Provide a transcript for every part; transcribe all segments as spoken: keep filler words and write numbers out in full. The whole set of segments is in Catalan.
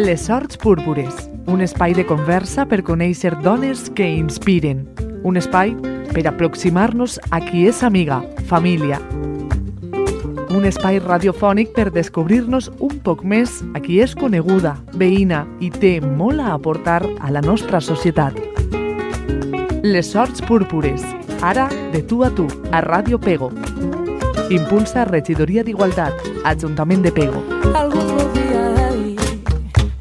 Les Sorts Púrpures, un espai de conversa per conèixer dones que inspiren. Un espai per aproximar-nos a qui és amiga, família. Un espai radiofònic per descobrir-nos un poc més a qui és coneguda, veïna i té molt a aportar a la nostra societat. Les Sorts Púrpures, ara de tu a tu, a Ràdio Pego. Impulsa Regidoria d'Igualtat, Ajuntament de Pego. Algú podria dir,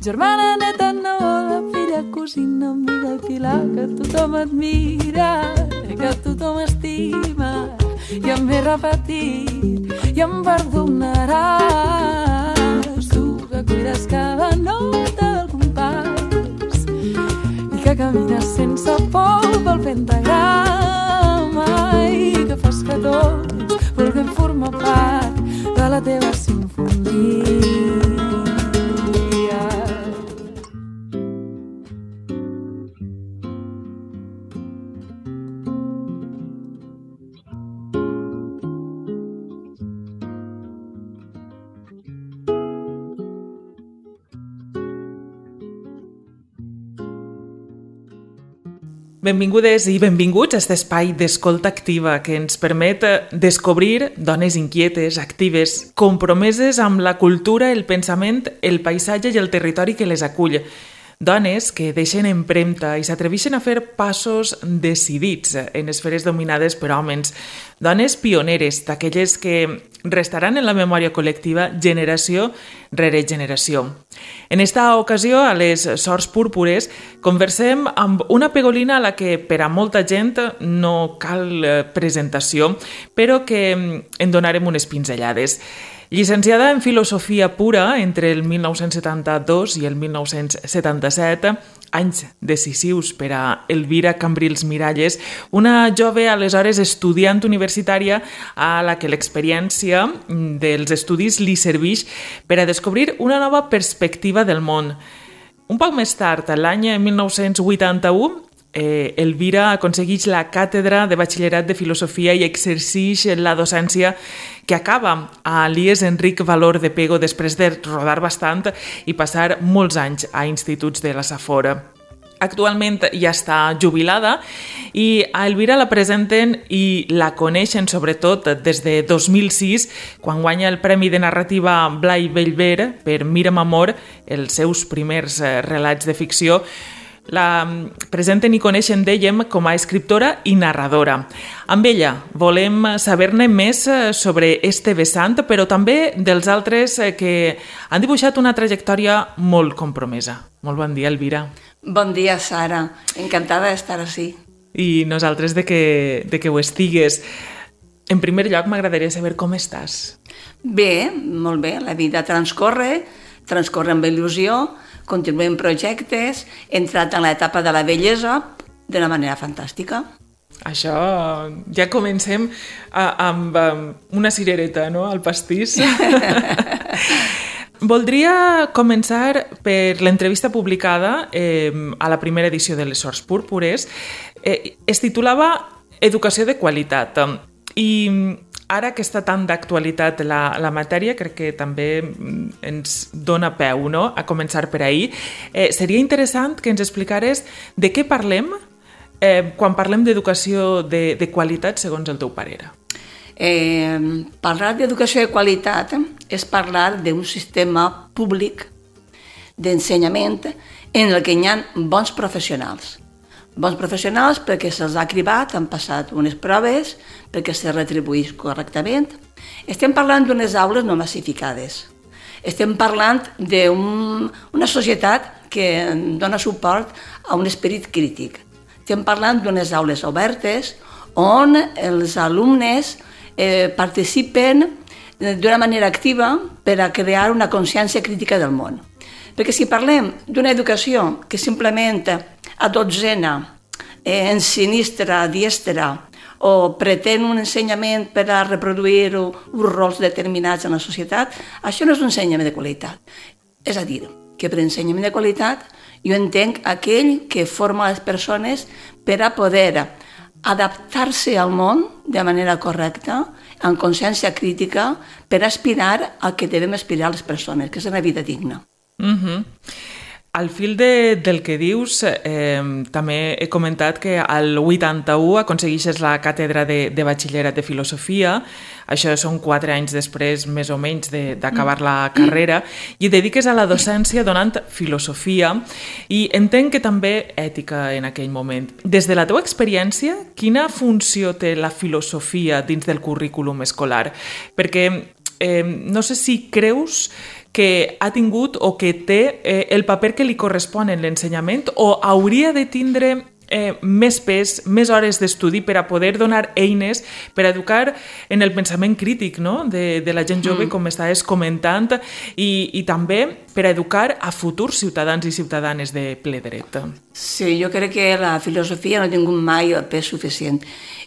germana, neta, neboda, filla, cosina, amiga, pilar, que tothom admira, que tothom estima, i em ve repetit, i em perdonaràs, tu que cuides cada nota del compàs, i que camines sense por pel pentagrama, i que fas que tots vulguem formar part de la teva sinfonia. Benvingudes i benvinguts a aquest espai d'escolta activa que ens permet descobrir dones inquietes, actives, compromeses amb la cultura, el pensament, el paisatge i el territori que les acull. Dones que deixen empremta i s'atreveixen a fer passos decidits en esferes dominades per homes. Dones pioneres, d'aquelles que restaran en la memòria col·lectiva generació rere generació. En esta ocasió, a les Sorts Púrpures, conversem amb una pegolina a la que per a molta gent no cal presentació, però que en donarem unes pinzellades. Llicenciada en Filosofia Pura entre el mil nou-cents setanta-dos i el mil nou-cents setanta-set, anys decisius per a Elvira Cambrils Miralles, una jove aleshores estudiant universitària a la que l'experiència dels estudis li serveix per a descobrir una nova perspectiva del món. Un poc més tard, l'any mil nou-cents vuitanta-u, Eh, Elvira aconsegueix la càtedra de batxillerat de filosofia i exerceix la docència que acaba a l'I E S Enric Valor de Pego després de rodar bastant i passar molts anys a instituts de la Safor. Actualment ja està jubilada i a Elvira la presenten i la coneixen sobretot des de dos mil sis, quan guanya el Premi de Narrativa Blai Bellver per Mira'm Amor, els seus primers relats de ficció. La presenten i coneixen, dèiem, com a escriptora i narradora. Amb ella volem saber-ne més sobre este vessant, però també dels altres que han dibuixat una trajectòria molt compromesa. Molt bon dia, Elvira. Bon dia, Sara. Encantada d'estar ací. I nosaltres de que, de que ho estigues. En primer lloc, m'agradaria saber com estàs. Bé, molt bé. La vida transcorre, transcorre amb il·lusió, continuem projectes, he entrat en l'etapa de la bellesa d'una manera fantàstica. Això, ja comencem a, amb, amb una cirereta, no?, al pastís. Voldria començar per l'entrevista publicada eh, a la primera edició de les Sorts Púrpures. Eh, es titulava Educació de qualitat. I ara que està tan d'actualitat la, la matèria, crec que també ens dona peu, no?, a començar per ahir. Eh, seria interessant que ens explicares de què parlem eh, quan parlem d'educació de, de qualitat, segons el teu parer. Eh, parlar d'educació de qualitat és parlar d'un sistema públic d'ensenyament en el que hi ha bons professionals. Bons professionals perquè se'ls ha cribat, han passat unes proves, perquè se retribuïx correctament. Estem parlant d'unes aules no massificades. Estem parlant d'una societat que dona suport a un esperit crític. Estem parlant d'unes aules obertes on els alumnes eh, participen d'una manera activa per a crear una consciència crítica del món. Perquè si parlem d'una educació que simplement a dotzena, eh, ensinistra, diestra, o pretén un ensenyament per a reproduir uns rols determinats en la societat, això no és un ensenyament de qualitat. És a dir, que per ensenyament de qualitat jo entenc aquell que forma les persones per a poder adaptar-se al món de manera correcta, amb consciència crítica, per aspirar al que devem aspirar les persones, que és una vida digna. Mhm. Al fil de, del que dius, eh, també he comentat que al vuitanta-u aconsegueixes la càtedra de, de batxillerat de filosofia, això són quatre anys després, més o menys, d'acabar la carrera, i et dediques a la docència donant filosofia i entenc que també ètica en aquell moment. Des de la teva experiència, quina funció té la filosofia dins del currículum escolar? Perquè eh, no sé si creus que ha tingut o que té eh, el paper que li correspon en l'ensenyament o hauria de tindre eh, més pes, més hores d'estudi per a poder donar eines per a educar en el pensament crític, no? de, de la gent jove, mm. com estaves comentant, i, i també per a educar a futurs ciutadans i ciutadanes de ple dret. Sí, jo crec que la filosofia no ha tingut mai el pes suficient.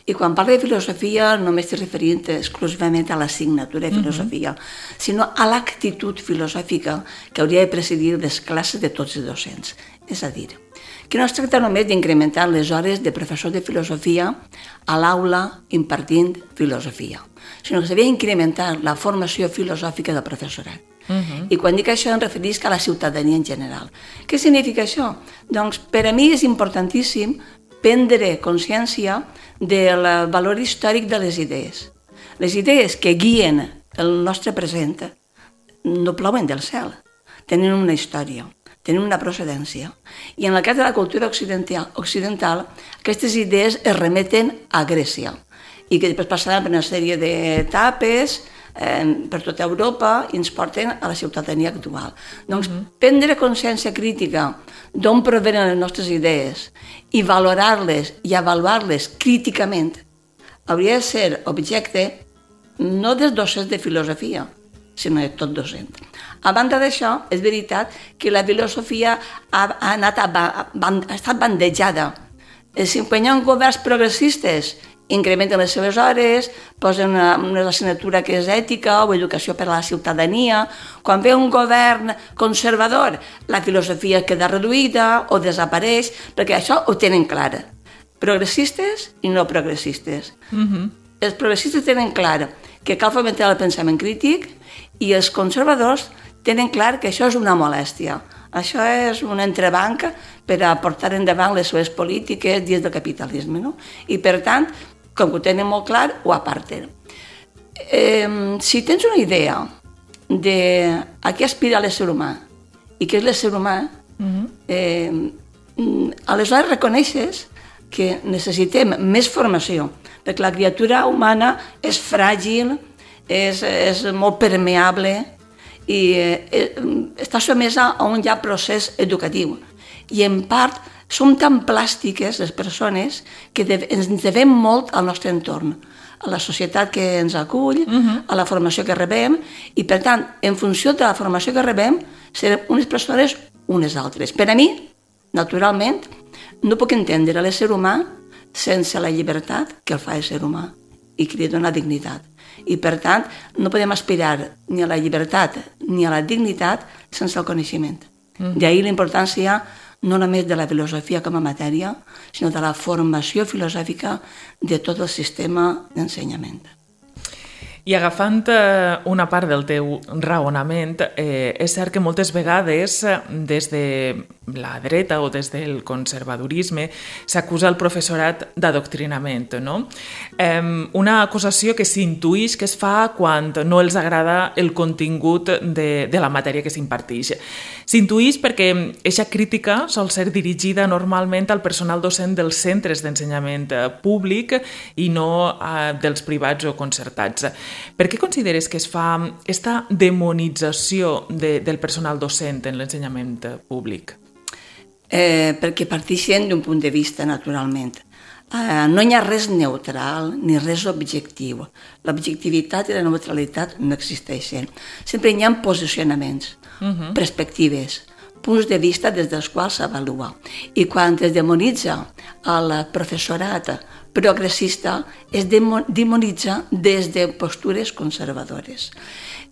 I quan parlo de filosofia no m'estic referint exclusivament a l'assignatura de filosofia, uh-huh. sinó a l'actitud filosòfica que hauria de presidir les classes de tots els docents. És a dir, que no es tracta només d'incrementar les hores de professor de filosofia a l'aula impartint filosofia, sinó que s'havia d'incrementar la formació filosòfica del professorat. Uh-huh. I quan dic això em referisc a la ciutadania en general. Què significa això? Doncs per a mi és importantíssim prendre consciència del valor històric de les idees. Les idees que guien el nostre present no plouen del cel, tenen una història, tenen una procedència. I en el cas de la cultura occidental, occidental aquestes idees es remeten a Grècia i que després passaran per una sèrie d'etapes eh, per tota Europa i ens porten a la ciutadania actual. Doncs uh-huh. prendre consciència crítica d'on provenen les nostres idees i valorar-les i avaluar-les críticament hauria de ser objecte no dels docents de filosofia, sinó de tot docent. A banda d'això, és veritat que la filosofia ha, ha, anat a, ha, ha estat bandejada. Si quan hi ha governs progressistes incrementen les seves hores, posen una, una assignatura que és ètica o educació per a la ciutadania. Quan ve un govern conservador, la filosofia queda reduïda o desapareix, perquè això ho tenen clar. Progressistes i no progressistes. Uh-huh. Els progressistes tenen clar que cal fomentar el pensament crític i els conservadors tenen clar que això és una molèstia. Això és un entrebanc per a portar endavant les seves polítiques dins del capitalisme. No? I per tant, com que ho tenen molt clar, ho aparten. Eh, si tens una idea de a què aspira l'ésser humà i què és l'ésser humà, uh-huh. eh, aleshores reconeixes que necessitem més formació, perquè la criatura humana és fràgil, és, és molt permeable i eh, està sotmesa a un ja procés educatiu. I en part som tan plàstiques les persones que ens devem molt al nostre entorn, a la societat que ens acull, uh-huh. a la formació que rebem, i per tant, en funció de la formació que rebem, serem unes persones unes altres. Per a mi, naturalment, no puc entendre l'ésser humà sense la llibertat que el fa ésser humà i que li dona dignitat. I per tant, no podem aspirar ni a la llibertat ni a la dignitat sense el coneixement. Uh-huh. D'ahir la importància no només de la filosofia com a matèria, sinó de la formació filosòfica de tot el sistema d'ensenyament. I agafant una part del teu raonament, eh, és cert que moltes vegades des de la dreta o des del conservadorisme s'acusa el professorat d'adoctrinament, no? Eh, una acusació que s'intuïx que es fa quan no els agrada el contingut de, de la matèria que s'imparteix. S'intuïx perquè aquesta crítica sol ser dirigida normalment al personal docent dels centres d'ensenyament públic i no eh, dels privats o concertats. Per què consideres que es fa aquesta demonització de, del personal docent en l'ensenyament públic? Eh, perquè parteixen d'un punt de vista, naturalment. Eh, no hi ha res neutral ni res objectiu. L'objectivitat i la neutralitat no existeixen. Sempre hi ha posicionaments, uh-huh. perspectives, punts de vista des dels quals s'avalua. I quan es demonitza el professorat progressista, es demonitza des de postures conservadores.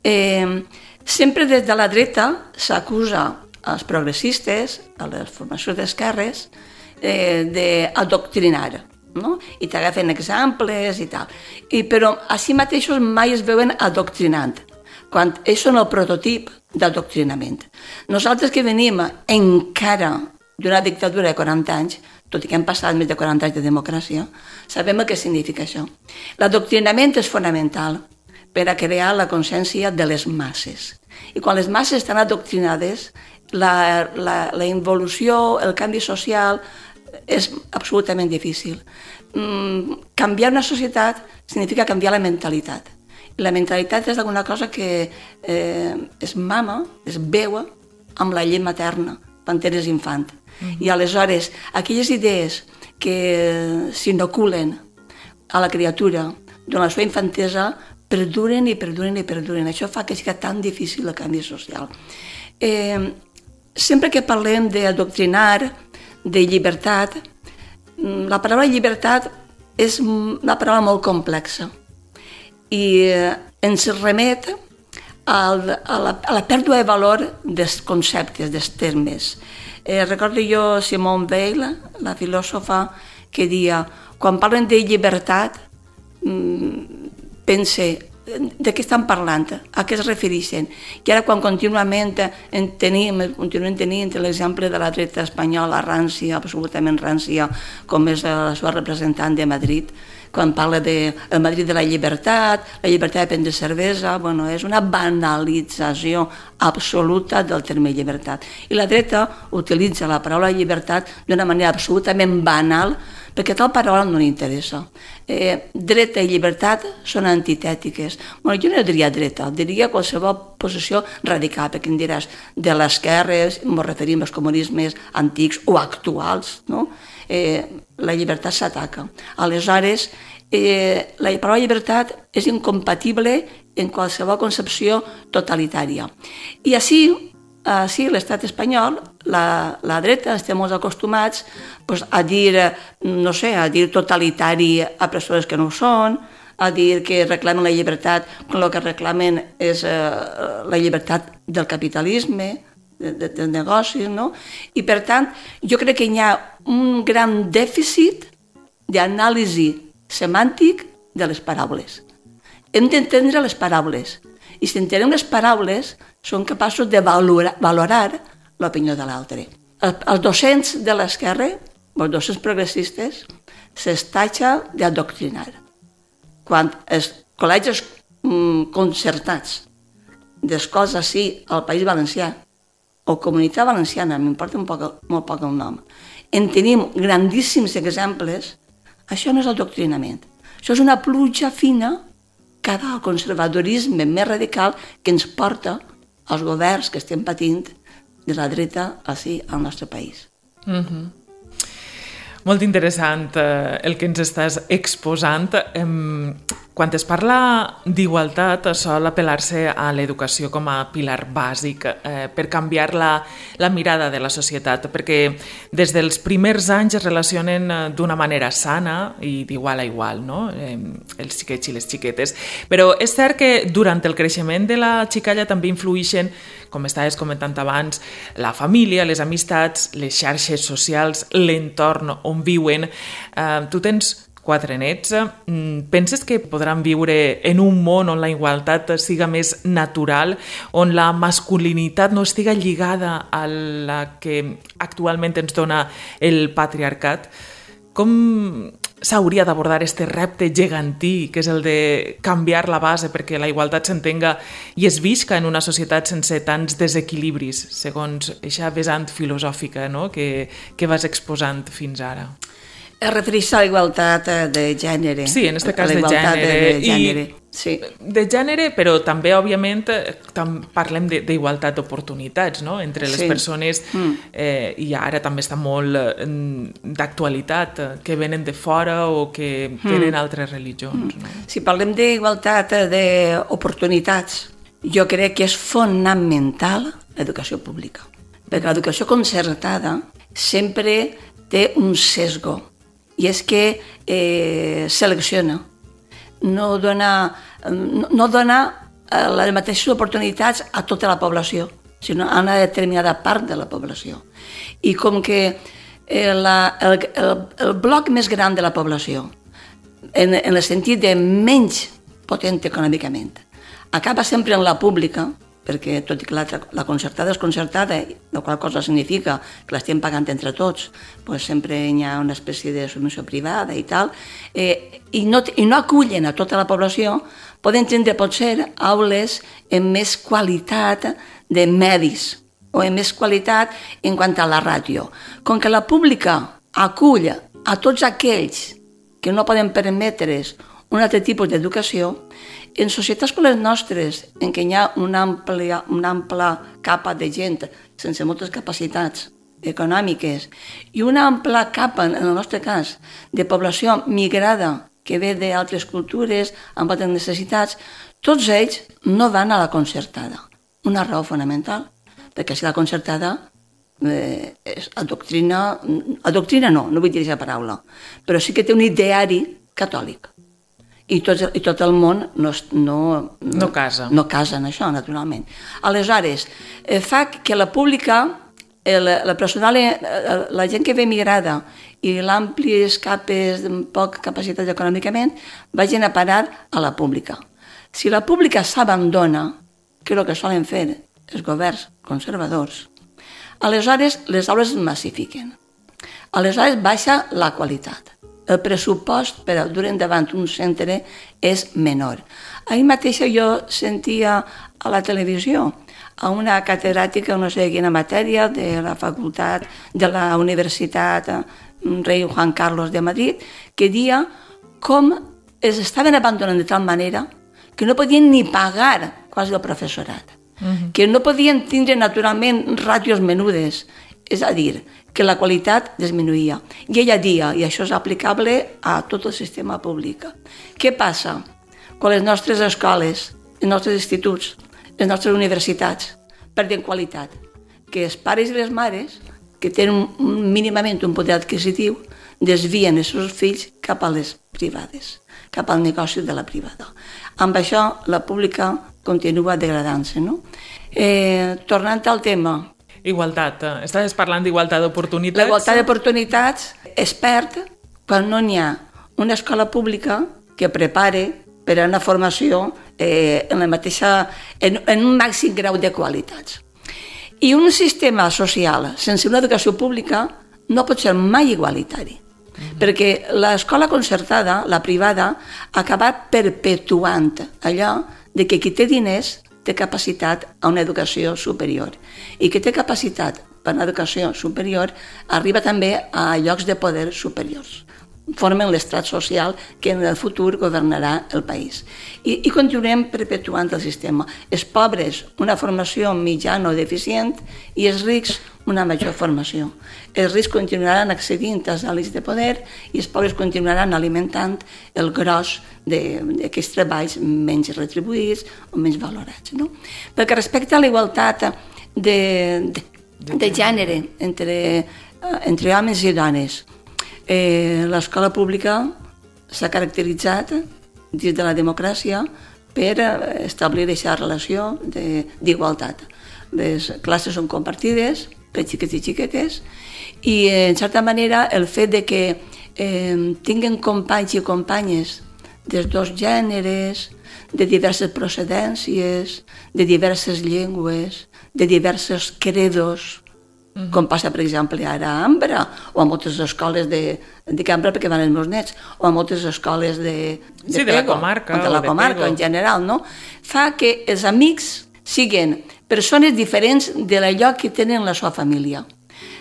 Eh, sempre des de la dreta s'acusa als progressistes, a les formacions d'esquerres, eh, d'adoctrinar, no? I t'agafen exemples i tal. I, però a si mateixos mai es veuen adoctrinant. quan ells són el prototip d'adoctrinament. Nosaltres que venim encara d'una dictadura de quaranta anys, tot i que hem passat més de quaranta anys de democràcia, sabem què significa això. L'adoctrinament és fonamental per a crear la consciència de les masses. I quan les masses estan adoctrinades, la, la, la involució, el canvi social és absolutament difícil. Mm, canviar una societat significa canviar la mentalitat. I la mentalitat és alguna cosa que eh, es mama, es veu amb la llei materna, quan eres infant. Mm-hmm. I aleshores, aquelles idees que s'inoculen a la criatura durant la seva infantesa perduren i perduren i perduren. Això fa que sigui tan difícil el canvi social. Eh, sempre que parlem d'adoctrinar, de llibertat, la paraula llibertat és una paraula molt complexa i ens remet al, a, la, a la pèrdua de valor dels conceptes, dels termes. Eh, recordo jo Simone Weil, la filòsofa, que dia, quan parlen de llibertat, pense, de què estan parlant? A què es refereixen? I ara quan contínuament en tenim, continuem tenint l'exemple de la dreta espanyola rància, absolutament rància, com és la seva representant de Madrid, quan parla de el Madrid de la llibertat, la llibertat de prendre cervesa, bueno, és una banalització absoluta del terme llibertat. I la dreta utilitza la paraula llibertat d'una manera absolutament banal, perquè tal paraula no li interessa. Eh, dreta i llibertat són antitètiques. Bueno, jo no diria dreta, diria qualsevol posició radical, perquè em diràs de l'esquerra, ens referim als comunismes antics o actuals, no? Eh, la llibertat s'ataca. Aleshores, eh, la paraula llibertat és incompatible en qualsevol concepció totalitària. I així, així l'estat espanyol, la, la dreta, estem molt acostumats pues, a dir, no sé, a dir totalitari a persones que no ho són, a dir que reclamen la llibertat quan el que reclamen és eh, la llibertat del capitalisme, de, de, de negocis, no? I per tant, jo crec que hi ha un gran dèficit d'anàlisi semàntic de les paraules. Hem d'entendre les paraules, i si entenem les paraules, som capaços de valorar, valorar l'opinió de l'altre. El, els docents de l'esquerra, els docents progressistes, s'estatxa d'adoctrinar. Quan els col·legis mm, concertats d'escoles així al País Valencià, o Comunitat Valenciana, m'importa un poc, molt poc el nom, en tenim grandíssims exemples, això no és adoctrinament. Això és una pluja fina cap al conservadorisme més radical que ens porta als governs que estem patint de la dreta així al nostre país. Mm-hmm. Molt interessant eh, el que ens estàs exposant. Eh, quan es parla d'igualtat, sol apel·lar-se a l'educació com a pilar bàsic eh, per canviar la, la mirada de la societat, perquè des dels primers anys es relacionen d'una manera sana i d'igual a igual, no? eh, els xiquets i les xiquetes. Però és cert que durant el creixement de la xicalla també influïxen, com estaves comentant abans, la família, les amistats, les xarxes socials, l'entorn on viuen. Eh, tu tens quatre nets. Penses que podran viure en un món on la igualtat siga més natural, on la masculinitat no estiga lligada a la que actualment ens dona el patriarcat? Com s'hauria d'abordar aquest repte gegantí, que és el de canviar la base perquè la igualtat s'entenga i es visca en una societat sense tants desequilibris, segons aquesta vessant filosòfica, no? que, que vas exposant fins ara? Es refereix a la igualtat de gènere. Sí, en aquest cas de gènere. De gènere. I sí. De gènere, però també, òbviament, tam parlem d'igualtat d'oportunitats, no? Entre les sí. persones, mm. eh, i ara també està molt eh, d'actualitat, que venen de fora o que mm. tenen altres religions. Mm. No? Si parlem d'igualtat d'oportunitats, jo crec que és fonamental l'educació pública, perquè l'educació concertada sempre té un sesgo, i és que eh, selecciona, no dona, no, no dona eh, les mateixes oportunitats a tota la població, sinó a una determinada part de la població. I com que eh, la, el, el, el bloc més gran de la població, en, en el sentit de menys potent econòmicament, acaba sempre en la pública, perquè tot i que la, la concertada és concertada, la qual cosa significa que l'estem pagant entre tots, doncs sempre hi ha una espècie de subvenció privada i tal, eh, i, no, i no acullen a tota la població, poden tindre potser aules amb més qualitat de medis o amb més qualitat en quant a la ràtio. Com que la pública acull a tots aquells que no poden permetre's un altre tipus d'educació, en societats com les nostres, en què hi ha una àmplia, una àmplia capa de gent sense moltes capacitats econòmiques i una àmplia capa, en el nostre cas, de població migrada que ve d'altres cultures amb altres necessitats, tots ells no van a la concertada. Una raó fonamental, perquè si la concertada eh, és adoctrina, adoctrina no, no vull dir aquesta paraula, però sí que té un ideari catòlic. I tot, i tot el món no, no, no, no casa. No casa en això, naturalment. Aleshores, eh, fa que la pública, el, la personal, la gent que ve migrada i l'àmplies capes amb poc capacitat econòmicament vagin a parar a la pública. Si la pública s'abandona, que és el que solen fer els governs conservadors, aleshores les aules es massifiquen. Aleshores baixa la qualitat. El pressupost per a dur endavant un centre és menor. Ahir mateix jo sentia a la televisió a una catedràtica, no sé quina matèria, de la facultat, de la Universitat Rei Juan Carlos de Madrid, que dia com es estaven abandonant de tal manera que no podien ni pagar quasi el professorat, uh-huh. que no podien tindre naturalment ràtios menudes, és a dir, que la qualitat disminuïa. I ella dia, i això és aplicable a tot el sistema públic. Què passa? Quan les nostres escoles, els nostres instituts, les nostres universitats perden qualitat, que els pares i les mares, que tenen mínimament un poder adquisitiu, desvien els seus fills cap a les privades, cap al negoci de la privada. Amb això, la pública continua degradant-se, no? Eh, tornant al tema, igualtat. Estaves parlant d'igualtat d'oportunitats. La igualtat d'oportunitats es perd quan no hi ha una escola pública que prepare per a una formació eh, en, la mateixa, en, en un màxim grau de qualitats. I un sistema social sense una educació pública no pot ser mai igualitari. Mm-hmm. Perquè l'escola concertada, la privada, ha acabat perpetuant allò de que qui té diners té capacitat a una educació superior. I que té capacitat per a una educació superior arriba també a llocs de poder superiors. Formen l'estrat social que en el futur governarà el país. I, i continuem perpetuant el sistema. Els pobres, una formació mitjana o deficient, i els rics, una major formació. Els rics continuaran accedint als àlits de poder i els pobres continuaran alimentant el gros d'aquests treballs menys retribuïts o menys valorats. No? Perquè respecte a la igualtat de, de, de gènere entre, entre homes i dones, eh, l'escola pública s'ha caracteritzat dins de la democràcia per establir aquesta relació d'igualtat. Les classes són compartides per xiquets i xiquetes i, en certa manera, el fet de que eh, tinguen companys i companyes dels dos gèneres, de diverses procedències, de diverses llengües, de diversos credos, uh-huh. com passa, per exemple, ara a Ambra, o a moltes escoles de, de Ambra, perquè van els meus nets, o a moltes escoles de, de, sí, de Pego, la comarca, de la o comarca de en general, no? Fa que els amics siguin persones diferents de l'allò que tenen la seva família.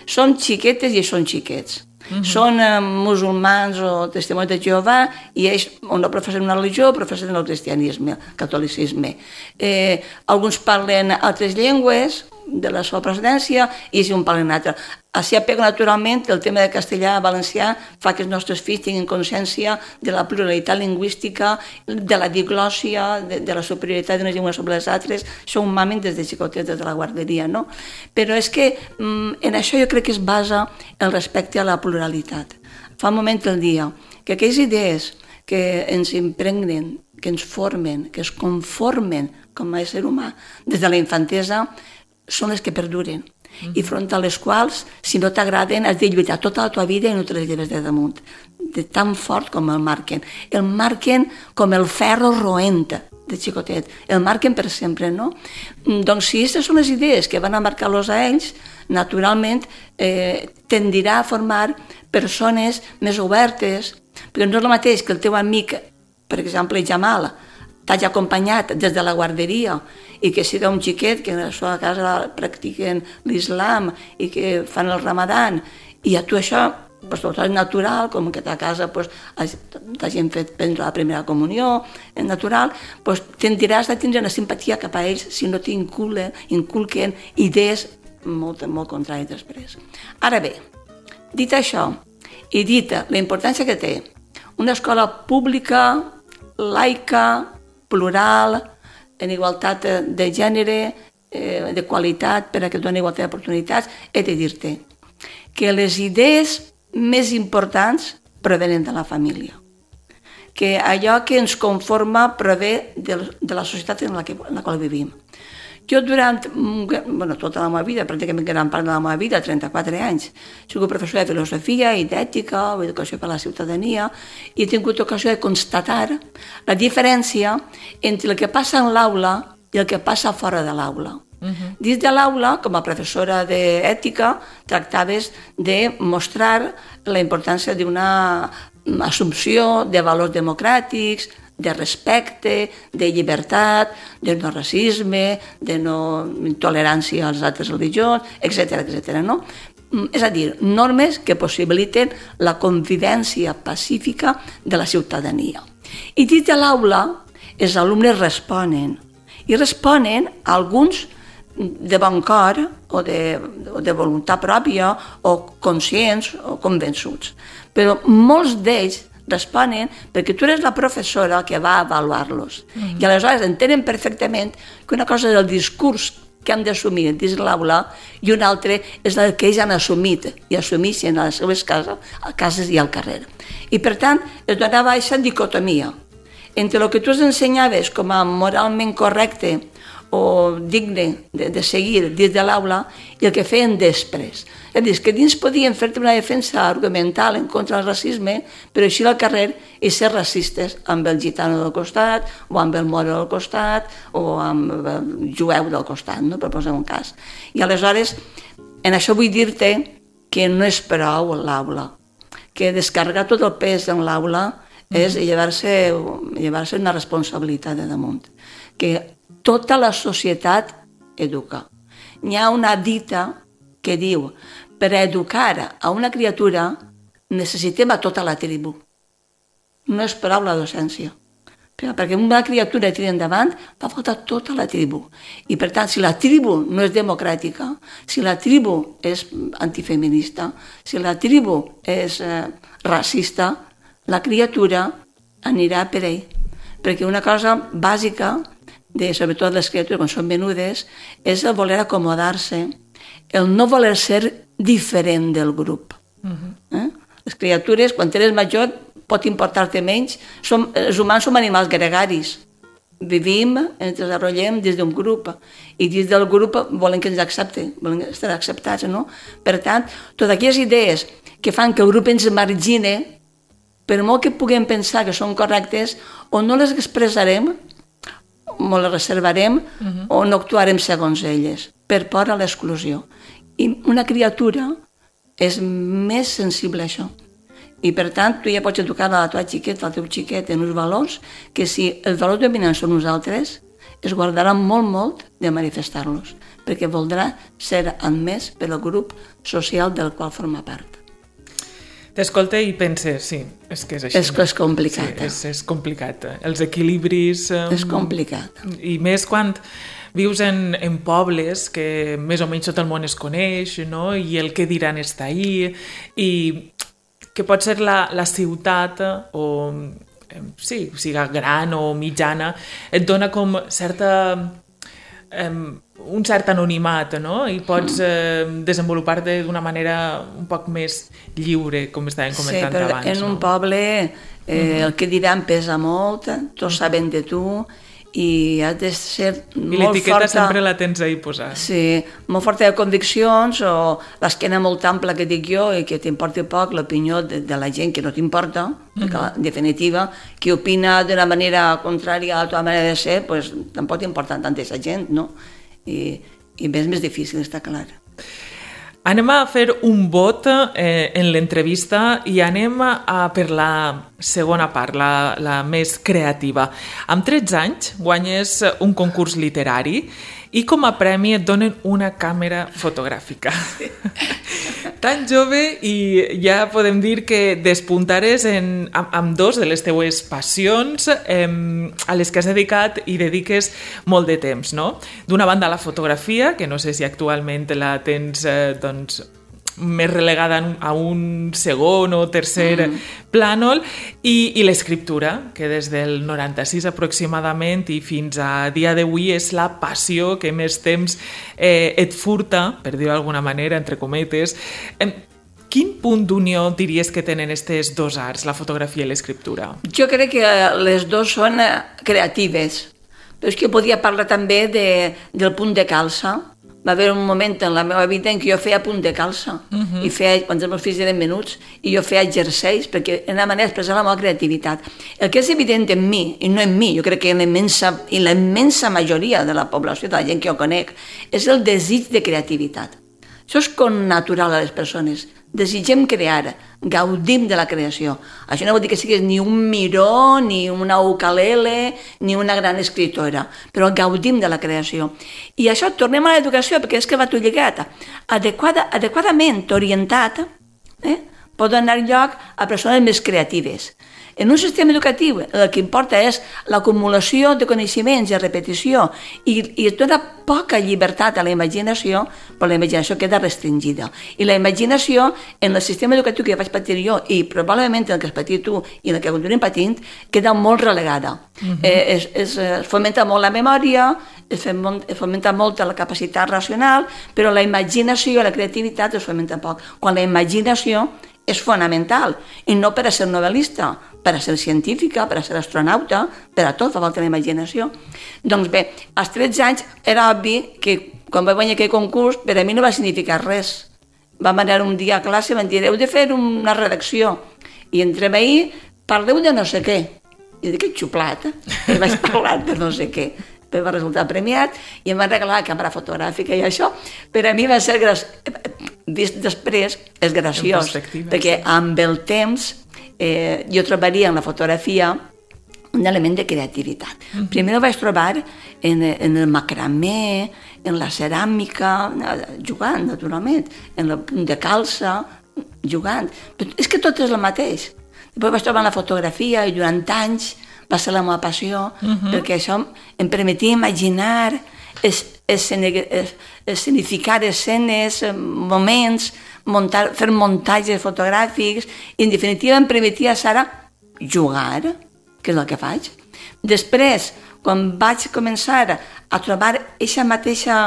Són xiquetes i són xiquets. Uh-huh. Són eh, musulmans o testimonis de Jehovà i ells o no professen una religió o professen el cristianisme, el catolicisme. Eh, alguns parlen altres llengües de la seva procedència i si un parlen altre. Així apega naturalment el tema de castellà a valencià fa que els nostres fills tinguin consciència de la pluralitat lingüística, de la diglòssia, de, de la superioritat d'unes llengües sobre les altres. Això ho mamen des de xicotets, des de la guarderia, no? Però és que en això jo crec que es basa el respecte a la pluralitat. Fa un moment el dia que aquelles idees que ens impregnen, que ens formen, que es conformen com a ésser humà des de la infantesa, són les que perduren. Mm-hmm. I front a les quals, si no t'agraden, has de lluitar tota la teva vida i no te les lleves de damunt. De tan fort com el marquen. El marquen com el ferro roent de xicotet, el marquen per sempre, no? Doncs si aquestes són les idees que van a marcar-los a ells, naturalment eh, tendirà a formar persones més obertes, perquè no és el mateix que el teu amic, per exemple, Jamal, t'hagi acompanyat des de la guarderia i que siga un xiquet que a la seva casa practiquen l'islam i que fan el ramadan, i a tu això pues, tot és natural, com que a ta casa pues, t'hagin fet prendre la primera comunió, és natural, pues, tendiràs a tindre una simpatia cap a ells si no t'inculquen inculquen idees molt, molt contràries després. Ara bé, dit això, i dita la importància que té una escola pública, laica, plural, en igualtat de gènere, eh, de qualitat, per a que doni igualtat d'oportunitats, he de dir-te que les idees més importants provenen de la família, que allò que ens conforma prové de, de la societat en la, que, en la qual vivim. Jo durant bueno, tota la meva vida, pràcticament gran part de la meva vida, trenta-quatre anys, he sigut professor de filosofia i d'ètica o educació per a la ciutadania i he tingut ocasió de constatar la diferència entre el que passa en l'aula i el que passa fora de l'aula. Uh-huh. Dins de l'aula, com a professora d'ètica, tractaves de mostrar la importància d'una assumpció de valors democràtics, de respecte, de llibertat, de no racisme, de no intolerància als altres religions, etcètera, etcètera, no? És a dir, normes que possibiliten la convivència pacífica de la ciutadania. I dins de l'aula, els alumnes responen, i responen a alguns de bon cor o de, o de voluntat pròpia o conscients o convençuts. Però molts d'ells responen perquè tu eres la professora que va avaluar-los. Mm-hmm. I aleshores entenen perfectament que una cosa és el discurs que han d'assumir dins l'aula i una altra és el que ells han assumit i assumeixen a les seves cases, a cases i al carrer. I per tant es donava aquesta dicotomia entre el que tu els ensenyaves com a moralment correcte o digne de, de seguir dins de l'aula i el que feien després. És a dir, que dins podien fer-te una defensa argumental en contra del racisme, però així al carrer i ser racistes amb el gitano del costat, o amb el moro del costat, o amb el jueu del costat, no? Per posar un cas. I aleshores, en això vull dir-te que no és prou l'aula, que descarregar tot el pes en l'aula és llevar-se llevar-se una responsabilitat de damunt, que tota la societat educa. Hi ha una dita que diu per educar a una criatura necessitem a tota la tribu. No és prou la docència. Perquè una criatura tira endavant fa falta tota la tribu. I per tant, si la tribu no és democràtica, si la tribu és antifeminista, si la tribu és eh, racista, la criatura anirà per ell. Perquè una cosa bàsica de, sobretot les criatures quan són menudes, és el voler acomodar-se, el no voler ser diferent del grup. Uh-huh. eh? Les criatures, quan eres major, pot importar-te menys. Som, els humans som animals gregaris. Vivim, ens desenvolupem des d'un grup, i dins del grup volen que ens accepti, volen estar acceptats, no? Per tant, totes aquelles idees que fan que el grup ens margine, per molt que puguem pensar que són correctes, o no les expressarem, o les reservarem, uh-huh. o no actuarem segons elles, per por a l'exclusió. I una criatura és més sensible a això. I per tant, tu ja pots educar a la teva xiqueta, al teu xiquet, en uns valors que si els valors dominants són nosaltres, es guardarà molt, molt de manifestar-los, perquè voldrà ser admès pel grup social del qual forma part. T'escolta i penses, sí, és que és així. És que és complicat. Sí, és, és complicat. Els equilibris... Um, és complicat. I més quan vius en, en pobles que més o menys tot el món es coneix, no? I el que diran està ahí, i que pot ser la, la ciutat o sí, siga gran o mitjana, et dona com certa... Um, un cert anonimat, no? I pots eh, desenvolupar-te d'una manera un poc més lliure, com estàvem comentant abans. Sí, però abans, en no? un poble eh, mm-hmm. el que diran pesa molt, tots saben de tu, i has de ser I molt l'etiqueta forta. sempre la tens ahí posada. Sí, molt forta de conviccions o l'esquena molt ampla que dic jo i que t'importi poc l'opinió de, de la gent que no t'importa, uh-huh. perquè en definitiva, qui opina d'una manera contrària a la teva manera de ser, pues, tampoc t'importa tant aquesta gent, no? I, i és més difícil, està clar. Anem a fer un vot eh, en l'entrevista i anem a per la segona part, la, la més creativa. Amb tretze anys guanyes un concurs literari i com a premi et donen una càmera fotogràfica. Tan jove i ja podem dir que despuntares en, amb, amb dos de les teues passions eh, a les que has dedicat i dediques molt de temps, no? D'una banda la fotografia, que no sé si actualment la tens eh, doncs, més relegada a un segon o tercer mm. plànol, i, i l'escriptura, que des del noranta-sis aproximadament i fins a dia d'avui és la passió que més temps eh, et furta, per dir-ho d'alguna manera, entre cometes. Eh, quin punt d'unió diries que tenen aquestes dos arts, la fotografia i l'escriptura? Jo crec que les dues són creatives, però és que podia parlar també de, del punt de calça. Va haver un moment en la meva vida en què jo feia punt de calça, uh-huh. i feia, quan els meus fills eren menuts, i jo feia jerseis, perquè era una manera d'expressar la meva creativitat. El que és evident en mi, i no en mi, jo crec que en la immensa, en la immensa majoria de la població, de la gent que jo conec, és el desig de creativitat. Això és connatural a les persones. Desitgem crear, gaudim de la creació. Això no vol dir que siguis ni un miró, ni una ukulele, ni una gran escriptora, però gaudim de la creació. I això, tornem a l'educació, perquè és que va tot lligat. Adequada, adequadament orientat, eh, pot donar lloc a persones més creatives. En un sistema educatiu el que importa és l'acumulació de coneixements i repetició i, i es dona poca llibertat a la imaginació, però la imaginació queda restringida. I la imaginació en el sistema educatiu que vaig patir jo i probablement en el que has patit tu i en el que continuem patint, queda molt relegada. Uh-huh. eh, es, es, es fomenta molt la memòria, es fomenta molt la capacitat racional, però la imaginació i la creativitat es fomenta poc. Quan la imaginació és fonamental, i no per a ser novel·lista, per a ser científica, per a ser astronauta, per a tot fa falta la imaginació. Doncs bé, als tretze anys era obvi que quan vaig guanyar aquell concurs per a mi no va significar res. Vam anar un dia a classe i vam dir, heu de fer una redacció, i entrem ahir, parleu de no sé què. I dic, que xuplat, i vaig parlar de no sé què. Va resultar premiat i em van regalar la càmera fotogràfica i això per a mi va ser vist després és graciós, perquè amb el temps eh, jo trobaria en la fotografia un element de creativitat. Mm-hmm. Primer ho vaig trobar en, en el macramé, en la ceràmica, jugant, naturalment, en el punt de calça, jugant. Però és que tot és el mateix. Després vaig trobar en la fotografia i durant anys va ser la meva passió, uh-huh. perquè això em permetia imaginar, es, es, es, escenificar escenes, moments, muntar, fer muntatges fotogràfics, i en definitiva em permetia, Sara, jugar, que és el que faig. Després, quan vaig començar a trobar aquesta mateixa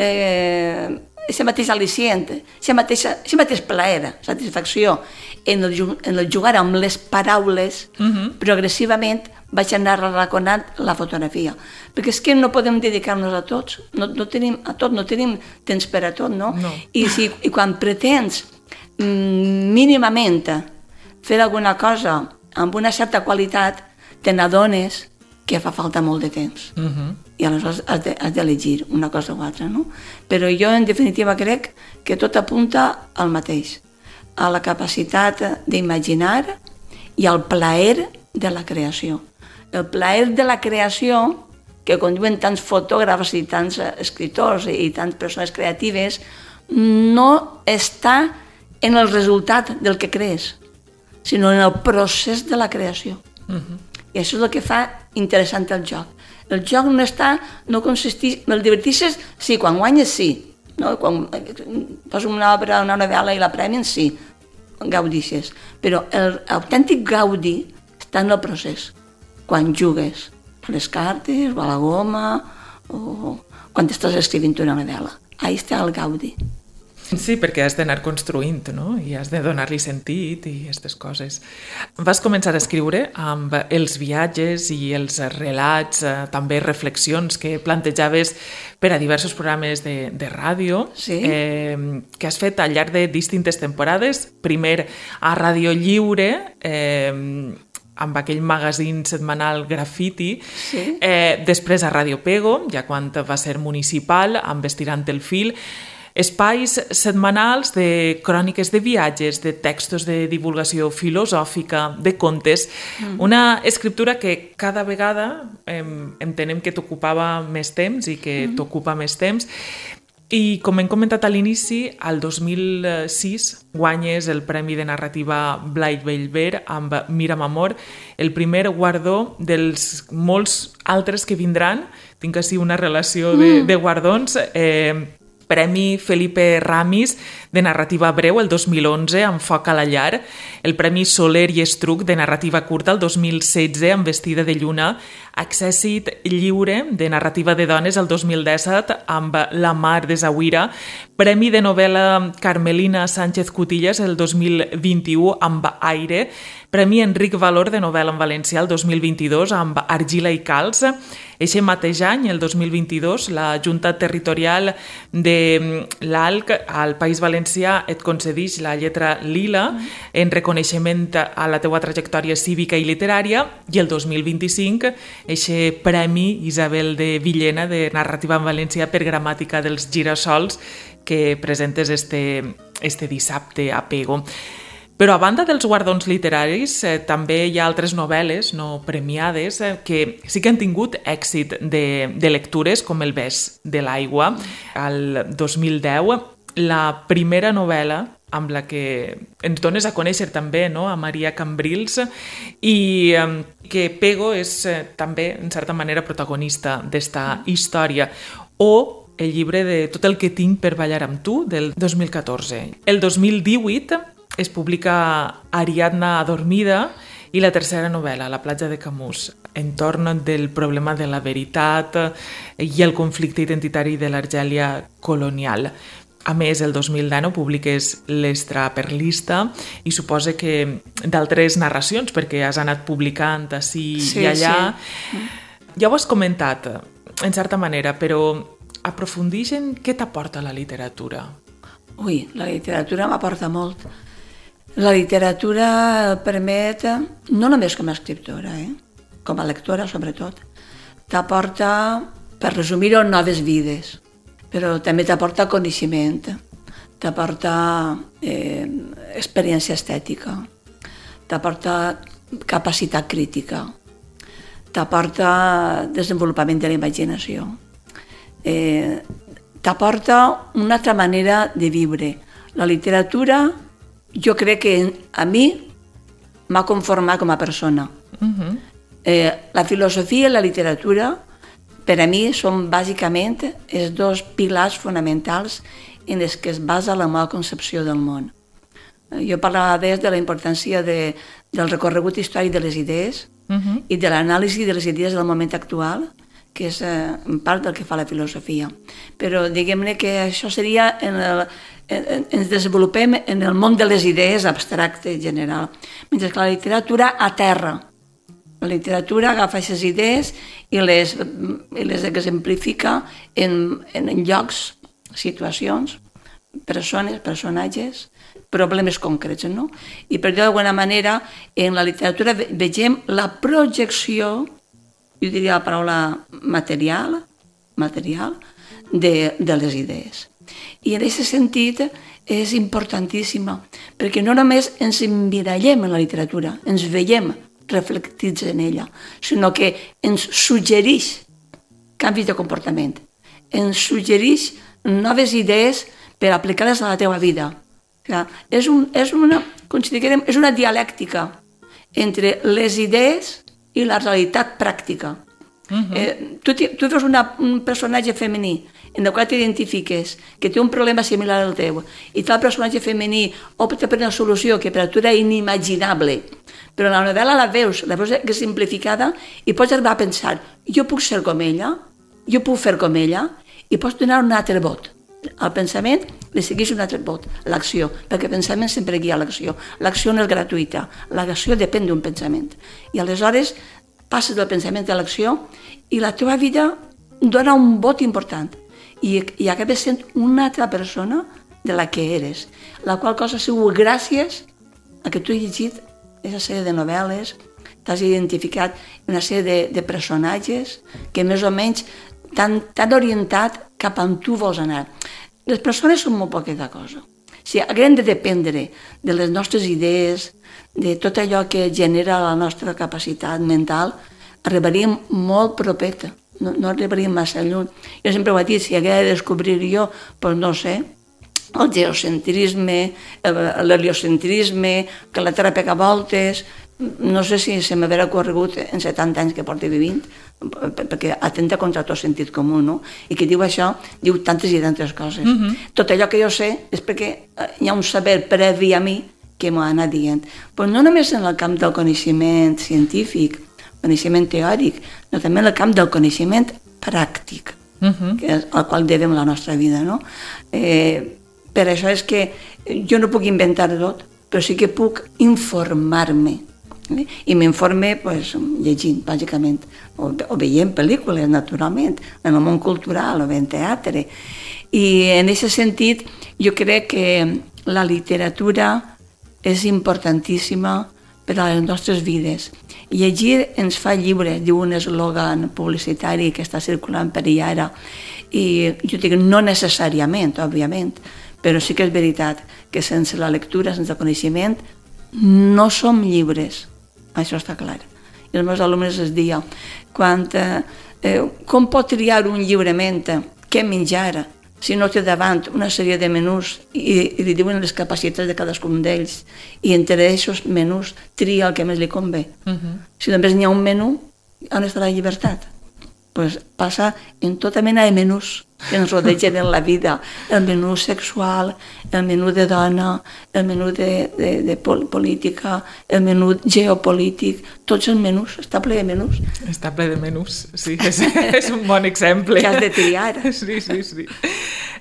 eh, aquest mateix al·licient, aquest mateix plaer, satisfacció en el, en el jugar amb les paraules, uh-huh. progressivament vaig anar arraconant la fotografia. Perquè és que no podem dedicar-nos a tots, no, no tenim, a tot, no tenim temps per a tot, no? no. I, si, I quan pretens mm, mínimament fer alguna cosa amb una certa qualitat, te n'adones que fa falta molt de temps. Uh-huh. I aleshores has, de, has d'elegir una cosa o altra, no? Però jo, en definitiva, crec que tot apunta al mateix, a la capacitat d'imaginar i al plaer de la creació. El plaer de la creació, que com diuen tants fotògrafs i tants escriptors i tantes persones creatives, no està en el resultat del que crees, sinó en el procés de la creació. Uh-huh. I això és el que fa interessant el joc. El joc no està, no consisteix... El divertixes, sí, quan guanyes, sí. No? Quan fas una obra, una novel·la i la premien, sí, gaudixes. Però l'autèntic gaudi està en el procés. Quan jugues a les cartes, o a la goma, o quan estàs escrivint una novel·la. Ahí està el gaudi. Sí, perquè has d'anar construint, no? I has de donar-li sentit i aquestes coses. Vas començar a escriure amb els viatges i els relats, eh, també reflexions que plantejaves per a diversos programes de, de ràdio, sí. eh, que has fet al llarg de distintes temporades. Primer a Ràdio Lliure, eh, amb aquell magazín setmanal Graffiti, sí. eh, després a Ràdio Pego, ja quan va ser municipal, amb Estirant el fil, espais setmanals de cròniques de viatges, de textos de divulgació filosòfica, de contes, mm. una escriptura que cada vegada eh, entenem que t'ocupava més temps i que mm. t'ocupa més temps. I com hem comentat a l'inici, al dos mil sis guanyes el Premi de Narrativa Blai Bellver amb Mira'm Amor, el primer guardó dels molts altres que vindran. Tinc així una relació de, mm. de guardons. Eh, Premi Felipe Ramis de narrativa breu el dos mil onze amb Foc a la llar, el Premi Soler i Estruc de narrativa curta el dos mil setze amb Vestida de lluna, Accèssit lliure de narrativa de dones el dos mil disset amb La mar de Zawira, Premi de novel·la Carmelina Sánchez Cutillas el dos mil vint-i-u amb Aire, Premi Enric Valor de novel·la en valencià el dos mil vint-i-dos amb Argila i Calç. Eixe mateix any, el dos mil vint-i-dos, la Junta Territorial de l'A L C al País Valencià et concedeix la lletra lila en reconeixement a la teua trajectòria cívica i literària, i el dos mil vint-i-cinc eixe Premi Isabel de Villena de narrativa en valencià per gramàtica dels girassols que presentes este, este dissabte a Pego. Però a banda dels guardons literaris, eh, també hi ha altres novel·les no premiades eh, que sí que han tingut èxit de, de lectures, com El bes de l'aigua, al dos mil deu. La primera novel·la amb la que ens dones a conèixer també, no?, a Maria Cambrils, i eh, que Pego és eh, també, en certa manera, protagonista d'esta història. O el llibre de Tot el que tinc per ballar amb tu, del dos mil catorze. El dos mil divuit es publica Ariadna adormida i la tercera novel·la, La platja de Camus, entorn del problema de la veritat i el conflicte identitari de l'Argèlia colonial. A més, el dos mil dinou publiques L'Extraperlista i suposa que d'altres narracions, perquè has anat publicant ací sí, i allà. Sí. Ja ho has comentat, en certa manera, però aprofundix en què t'aporta la literatura. Ui, la literatura m'aporta molt. La literatura permet, no només com a escriptora, eh? com a lectora sobretot, t'aporta, per resumir-ho, noves vides, però també t'aporta coneixement, t'aporta eh, experiència estètica, t'aporta capacitat crítica, t'aporta desenvolupament de la imaginació, eh, t'aporta una altra manera de viure. La literatura, jo crec que a mi m'ha conformat com a persona. Uh-huh. Eh, la filosofia i la literatura, per a mi, són bàsicament els dos pilars fonamentals en els que es basa la meva concepció del món. Jo parlava des de la importància de, del recorregut històric de les idees uh-huh. i de l'anàlisi de les idees del moment actual, que és eh, en part del que fa la filosofia. Però diguem-ne que això seria en el, en, ens desenvolupem en el món de les idees abstracte general, mentre que la literatura aterra. La literatura agafa aquestes idees i les, i les exemplifica en, en llocs, situacions, persones, personatges, problemes concrets, no? I per dir d'alguna manera, en la literatura vegem la projecció, jo diria la paraula material, material de, de les idees. I en aquest sentit és importantíssima, perquè no només ens emmirallem en la literatura, ens veiem reflectits en ella, sinó que ens suggereix canvis de comportament, ens suggereix noves idees per aplicar-les a la teva vida. O sigui, és, un, és, una, és una dialèctica entre les idees i la realitat pràctica. Uh-huh. eh, tu, tu veus una, un personatge femení en el qual t'identifiques, que té un problema similar al teu, i tal personatge femení opta per una solució que per a tu era inimaginable, però la novel·la la veus, la veus simplificada i pots arribar a pensar, jo puc ser com ella, jo puc fer com ella, i pots donar un altre vot. El pensament li segueix un altre vot, l'acció, perquè el pensament sempre guia l'acció. L'acció no és gratuïta, l'acció depèn d'un pensament. I aleshores passes del pensament a l'acció i la teva vida dona un vot important i, i acabes sent una altra persona de la que eres, la qual cosa ha sigut gràcies a que tu has llegit aquesta sèrie de novel·les, t'has identificat una sèrie de, de personatges que més o menys t'han, t'han orientat cap on tu vols anar. Les persones són molt poqueta cosa. Si haguem de dependre de les nostres idees, de tot allò que genera la nostra capacitat mental, arribaríem molt propeta, no, no arribaríem massa lluny. Jo sempre ho he dit, si hagués de descobrir jo, doncs no sé, el geocentrisme, l'heliocentrisme, que la Terra pega voltes, no sé si se m'haurà corregut en setanta anys que porto vivint, perquè atenta contra tot sentit comú, no? I qui diu això, diu tantes i tantes coses. Mm-hmm. Tot allò que jo sé és perquè hi ha un saber previ a mi que m'ho ha anat dient. Però no només en el camp del coneixement científic, coneixement teòric, no també en el camp del coneixement pràctic, mm-hmm. que és al qual devem la nostra vida, no? Eh, per això és que jo no puc inventar tot, però sí que puc informar-me. I m'informe pues, llegint, bàsicament, o, o veient pel·lícules, naturalment, en el món cultural o en teatre. I en aquest sentit, jo crec que la literatura és importantíssima per a les nostres vides. Llegir ens fa lliures, diu un eslògan publicitari que està circulant per allà ara. I jo dic, no necessàriament, òbviament, però sí que és veritat que sense la lectura, sense el coneixement, no som llibres. Això està clar. I els meus alumnes es diuen, quan, eh, com pot triar un lliurement què menjar si no té davant una sèrie de menús i, i li diuen les capacitats de cadascun d'ells i entre aquests menús tria el que més li convé. Uh-huh. Si només n'hi ha un menú, on està la llibertat? Pues passa en tota mena de menús que ens rodegen en la vida. El menú sexual, el menú de dona, el menú de, de, de política, el menú geopolític, tots els menús, està ple de menús. Està ple de menús, sí, és, és un bon exemple. Que has de triar. Sí, sí, sí.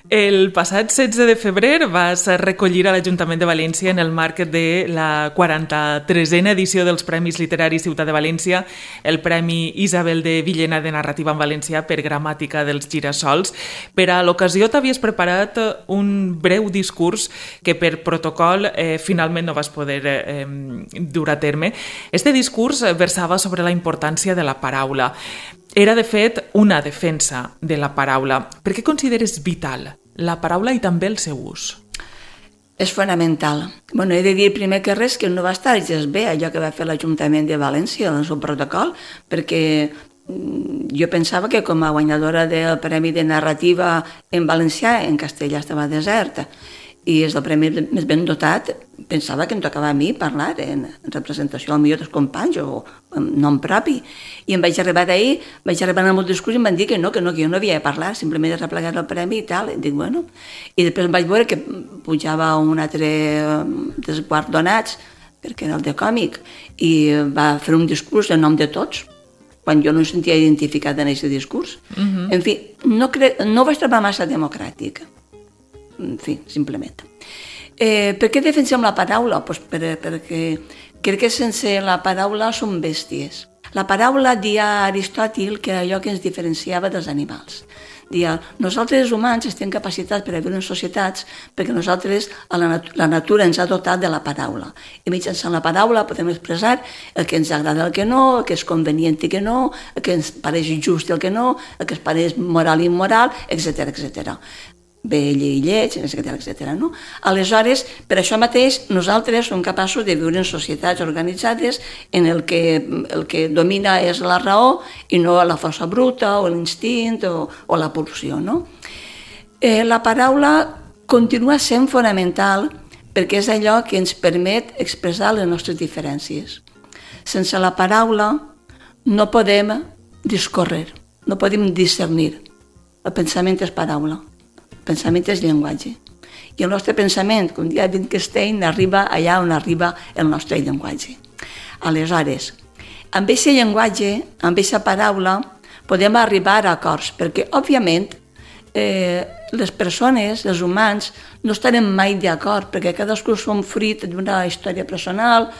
El passat setze de febrer vas recollir a l'Ajuntament de València en el marc de la quaranta-tresena edició dels Premis Literaris Ciutat de València el Premi Isabel de Villena de Narrativa en Valencià per Gramàtica dels Girassols. Per a l'ocasió t'havies preparat un breu discurs que per protocol eh, finalment no vas poder eh, dur a terme. Este discurs versava sobre la importància de la paraula. Era, de fet, una defensa de la paraula. Per què consideres vital la paraula i també el seu ús? És fonamental. Bueno, he de dir primer que res que no va estar gens bé allò que va fer l'Ajuntament de València en el seu protocol, perquè jo pensava que com a guanyadora del Premi de Narrativa en Valencià, en castellà estava desert, i és el premi més ben dotat, pensava que em tocava a mi parlar en representació al millor dels companys o en nom propi. I em vaig arribar d'ahir, vaig arribar amb el discurs i em van dir que no, que no, que jo no havia de parlar, simplement he replegat el premi i tal. I dic, bueno. I després em vaig veure que pujava un altre dels guardonats, perquè era el de còmic, i va fer un discurs en nom de tots, quan jo no em sentia identificat en aquest discurs. Uh-huh. En fi, no, cre... no ho vaig trobar massa democràtic. En fi, simplement. Eh, per què defensem la paraula? Pues per, perquè crec que sense la paraula som bèsties. La paraula, dia Aristòtil, que era allò que ens diferenciava dels animals. Dia, nosaltres els humans estem capacitats per a viure en societats perquè nosaltres, a la, nat la natura ens ha dotat de la paraula. I mitjançant la paraula podem expressar el que ens agrada, el que no, el que és convenient i que no, el que ens pareix just i el que no, el que ens pareix moral i immoral, etcètera, etcètera. Vell i lleig, etcètera, etcètera. No? Aleshores, per això mateix, nosaltres som capaços de viure en societats organitzades en el que el que domina és la raó i no la força bruta o l'instint o, o la pulsió. No? Eh, la paraula continua sent fonamental perquè és allò que ens permet expressar les nostres diferències. Sense la paraula no podem discórrer, no podem discernir. El pensament és paraula. El pensament és llenguatge. I el nostre pensament, com dia Wittgenstein, arriba allà on arriba el nostre llenguatge. Aleshores, amb aquest llenguatge, amb aquesta paraula, podem arribar a acords, perquè, òbviament, eh, les persones, els humans, no estarem mai d'acord, perquè cadascú som fruit d'una història personal,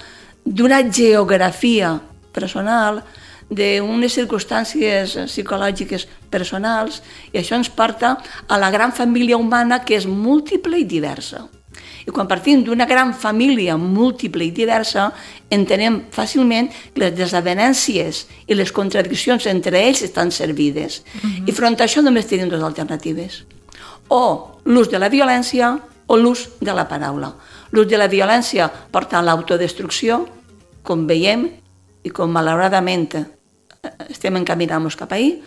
d'una geografia personal, d'unes circumstàncies psicològiques personals, i això ens porta a la gran família humana que és múltiple i diversa. I quan partim d'una gran família múltiple i diversa, entenem fàcilment que les desavenències i les contradiccions entre ells estan servides. Uh-huh. I front a això només tenim dues alternatives. O l'ús de la violència o l'ús de la paraula. L'ús de la violència porta a l'autodestrucció, com veiem, i com malauradament estem encaminant-nos cap ahir,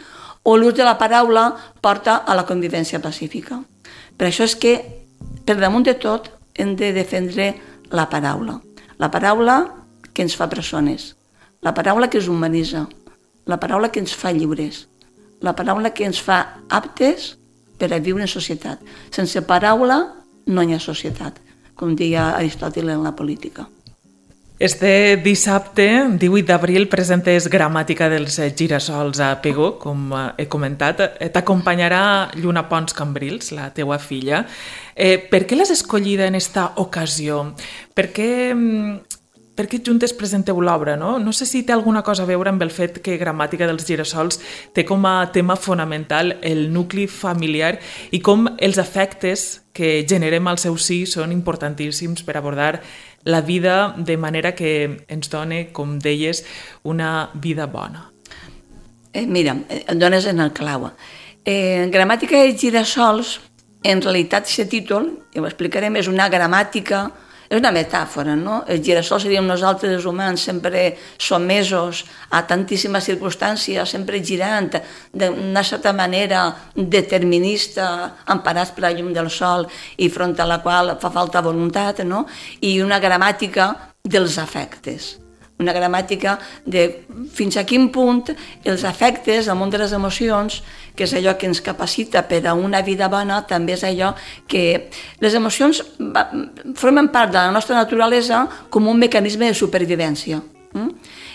o l'ús de la paraula porta a la convivència pacífica. Per això és que, per damunt de tot, hem de defendre la paraula. La paraula que ens fa persones, la paraula que ens humanitza, la paraula que ens fa lliures, la paraula que ens fa aptes per a viure en societat. Sense paraula no hi ha societat, com deia Aristòtil en la política. Este dissabte, divuit d'abril, presentes Gramàtica dels girassols a Pego, com he comentat. T'acompanyarà Lluna Pons Cambrils, la teua filla. Eh, per què l'has escollida en esta ocasió? Per què, per què juntes presenteu l'obra? No? no sé si té alguna cosa a veure amb el fet que Gramàtica dels girassols té com a tema fonamental el nucli familiar i com els afectes que generem al seu sí són importantíssims per abordar la vida de manera que ens doni, com deies, una vida bona. Eh, mira, em dones en el clau. Eh, Gramàtica de girassols, en realitat, aquest títol, ja ho explicarem, és una gramàtica, és una metàfora, no? Els girassols seríem nosaltres, els humans, sempre sotmesos a tantíssimes circumstàncies, sempre girant d'una certa manera determinista, emparats per la llum del sol i front a la qual fa falta voluntat, no? I una gramàtica dels afectes. Una gramàtica de fins a quin punt els afectes, el món de les emocions, que és allò que ens capacita per a una vida bona, també és allò que les emocions formen part de la nostra naturalesa com un mecanisme de supervivència.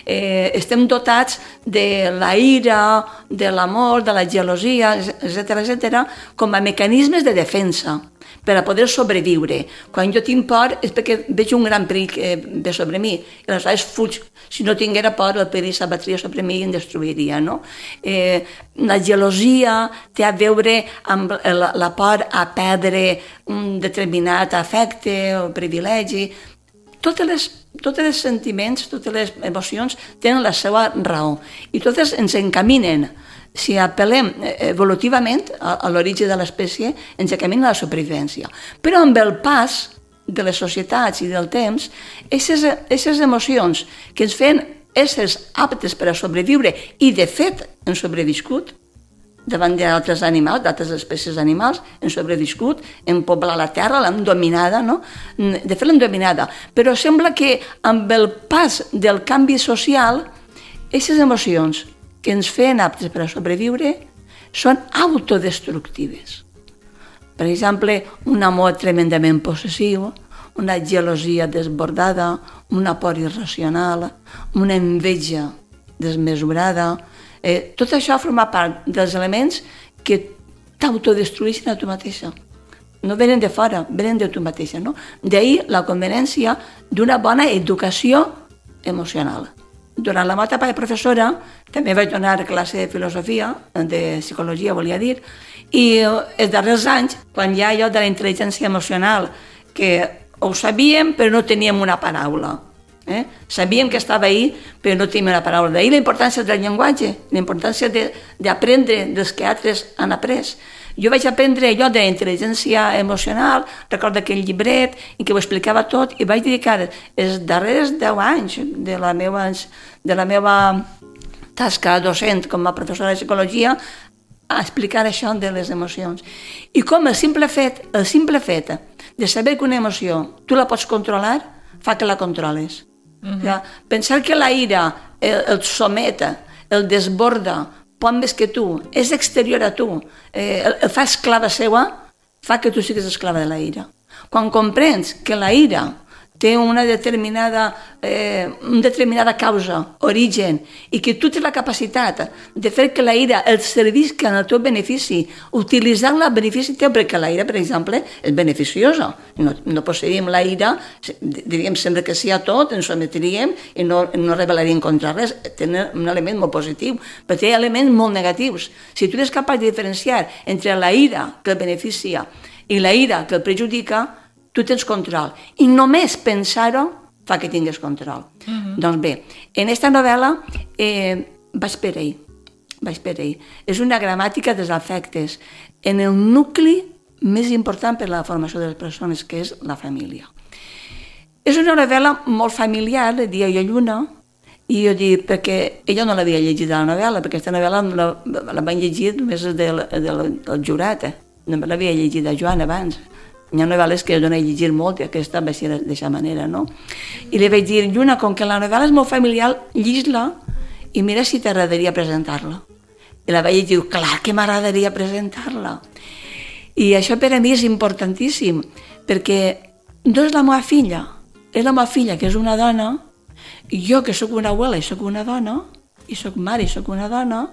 Eh, estem dotats de la ira, de l'amor, de la gelosia, etcètera, etcètera, com a mecanismes de defensa per a poder sobreviure. Quan jo tinc por és perquè veig un gran perill que ve sobre mi i aleshores fuig. Si no tinguera por, el perill s'abatria sobre mi i em destruiria, no? Eh, la gelosia té a veure amb la, la por a perdre un determinat afecte o privilegi. Totes les, totes els sentiments, totes les emocions tenen la seva raó i totes ens encaminen. Si apel·lem evolutivament a l'origen de l'espècie, ens encamina a la supervivència. Però amb el pas de les societats i del temps, aquestes emocions que ens feien éssers aptes per a sobreviure i, de fet, han sobreviscut davant d'altres animals, d'altres espècies animals, han sobreviscut, hem poblat la terra, l'hem dominada, no? De fet, l'hem dominada. Però sembla que amb el pas del canvi social, aquestes emocions que ens feien aptes per a sobreviure són autodestructives. Per exemple, un amor tremendament possessiu, una gelosia desbordada, una por irracional, una enveja desmesurada. Eh, tot això forma part dels elements que t'autodestrueixen a tu mateixa. No venen de fora, venen de tu mateixa. No? D'ahir la conveniència d'una bona educació emocional. Durant la meva etapa de professora també vaig donar classe de filosofia, de psicologia volia dir, i els darrers anys, quan hi ha allò de la intel·ligència emocional, que ho sabíem però no teníem una paraula. Eh? Sabíem que estava ahí però no teníem una paraula. D'ahir la importància del llenguatge, la importància d'aprendre dels que altres han après. Jo vaig aprendre allò de la intel·ligència emocional, recordo aquell llibret en què ho explicava tot i vaig dedicar els darrers deu anys de la meva, de la meva tasca docent com a professora de psicologia a explicar això de les emocions. I com el simple fet, el simple fet de saber que una emoció tu la pots controlar fa que la controles. Uh-huh. Ja, pensar que la ira el, el someta, el desborda, pot més que tu, és exterior a tu, eh, el, el fa esclava seua, fa que tu siguis esclava de la ira. Quan comprens que la ira té una determinada, eh, una determinada causa, origen, i que tu tens la capacitat de fer que la ira el servisca en el teu benefici, utilitzar-la en benefici teu, perquè la ira, per exemple, és beneficiosa. No, no posseïm la ira, diríem sempre que sí a tot, ens sometríem i no, no rebel·laríem contra res. Té un element molt positiu, però té elements molt negatius. Si tu eres capaç de diferenciar entre la ira que el beneficia i la ira que el perjudica, tu tens control. I només pensar-ho fa que tingues control. Uh-huh. Doncs bé, en aquesta novel·la eh, vaig per ahí. Vaig per ahí. És una gramàtica dels afectes en el nucli més important per a la formació de les persones, que és la família. És una novel·la molt familiar, dia i lluna, i jo dic, perquè ella no l'havia llegit la novel·la, perquè aquesta novel·la la, la van llegir només del, del, del jurat, eh? No me l'havia llegit a Joan abans. Hi ha novel·les que jo no he llegit molt i aquesta va ser d'aquesta manera, no? I li vaig dir, Lluna, com que la novel·la és molt familiar, llis-la i mira si t'agradaria presentar-la. I la vaig dir, clar que m'agradaria presentar-la. I això per a mi és importantíssim, perquè no és la meva filla, és la meva filla, que és una dona, i jo, que sóc una abuela i sóc una dona, i sóc mare i sóc una dona,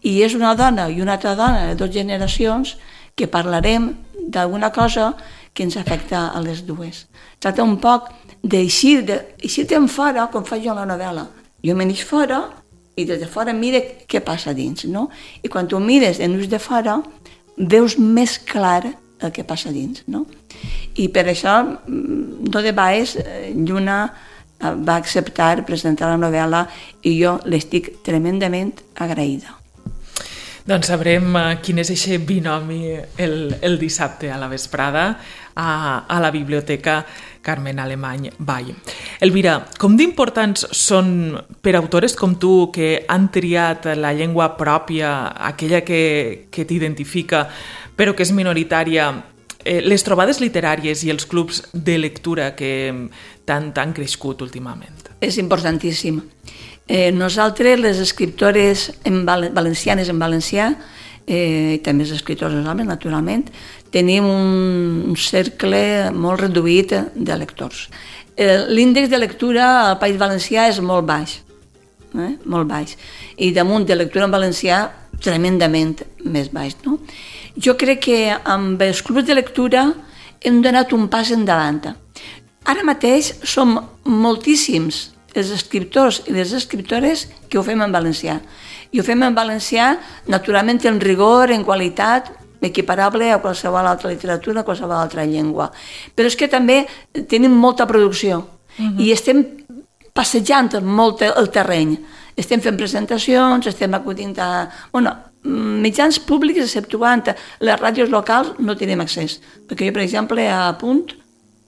i és una dona i una altra dona de dues generacions que parlarem d'alguna cosa que ens afecta a les dues. Tracta un poc d'eixir, d'eixir-te'n fora, com faig jo en la novel·la. Jo me n'eix fora i des de fora mire què passa dins, no? I quan tu mires en ús de fora, veus més clar el que passa dins, no? I per això, no de baix, Lluna va acceptar presentar la novel·la i jo l'estic tremendament agraïda. Doncs sabrem quin és aquest binomi el, el dissabte a la vesprada a, a la Biblioteca Carmen Alemany Vall. Elvira, com d'importants són per autores com tu que han triat la llengua pròpia, aquella que, que t'identifica, però que és minoritària, eh, les trobades literàries i els clubs de lectura que tant han crescut últimament? És importantíssim. Eh, nosaltres, les escriptores en val valencianes en valencià, eh, i també els escriptors homes, naturalment, tenim un, un cercle molt reduït de lectors. Eh, L'índex de lectura al País Valencià és molt baix, eh? molt baix, i damunt de lectura en valencià tremendament més baix. No? Jo crec que amb els clubs de lectura hem donat un pas endavant. Ara mateix som moltíssims els escriptors i les escriptores que ho fem en valencià. I ho fem en valencià, naturalment, en rigor, en qualitat, equiparable a qualsevol altra literatura, a qualsevol altra llengua. Però és que també tenim molta producció uh-huh. i estem passejant molt el terreny. Estem fent presentacions, estem acudint a... Bueno, mitjans públics, exceptuant les ràdios locals, no tenim accés. Perquè jo, per exemple, a Punt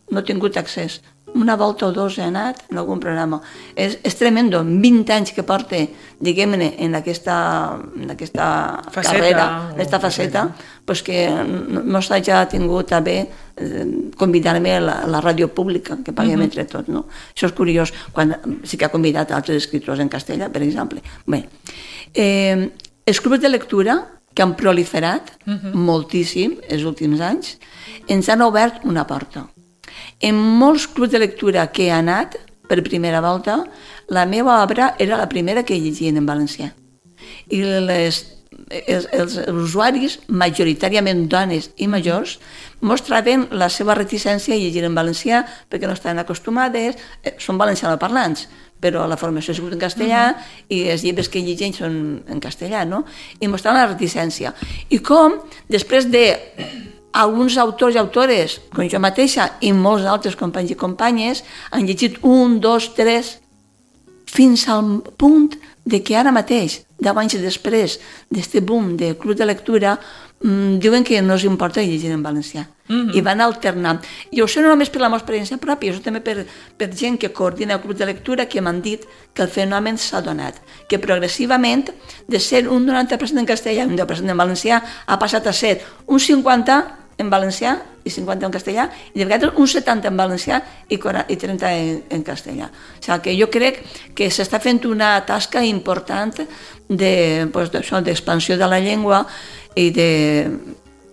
no he tingut accés. Una volta o dos he anat en algun programa. És, és tremendo, vint anys que porta, diguem-ne, en aquesta, en aquesta faceta, carrera, en aquesta faceta, pues que no, no s'hagi tingut a bé eh, convidar-me a la, a la ràdio pública, que paguem uh-huh. entre tots, no? Això és curiós, quan sí que ha convidat altres escriptors en castellà, per exemple. Bé, eh, els clubs de lectura, que han proliferat uh-huh. moltíssim els últims anys, ens han obert una porta. En molts clubs de lectura que he anat, per primera volta, la meva obra era la primera que llegien en valencià. I les, els, els usuaris, majoritàriament dones i majors, mostraven la seva reticència a llegir en valencià perquè no estaven acostumades, són valencianoparlants, però la formació ha sigut en castellà uh-huh. i els llibres que llegeixen són en castellà, no? I mostraven la reticència. I com, després de alguns autors i autores, com jo mateixa, i molts altres companys i companyes, han llegit un, dos, tres, fins al punt de que ara mateix, deu anys després d'aquest boom de club de lectura, mmm, diuen que no els importa llegir en valencià. Mm-hmm. I van alternant. I això no només per la meva experiència pròpia, això també per, per gent que coordina el club de lectura, que m'han dit que el fenomen s'ha donat, que progressivament, de ser un noranta per cent en castellà i un deu per cent en valencià, ha passat a ser un cinquanta per cent en valencià i cinquanta en castellà, i de vegades un setanta en valencià i trenta en, en castellà. O sigui que jo crec que s'està fent una tasca important de, pues, d'expansió de la llengua i de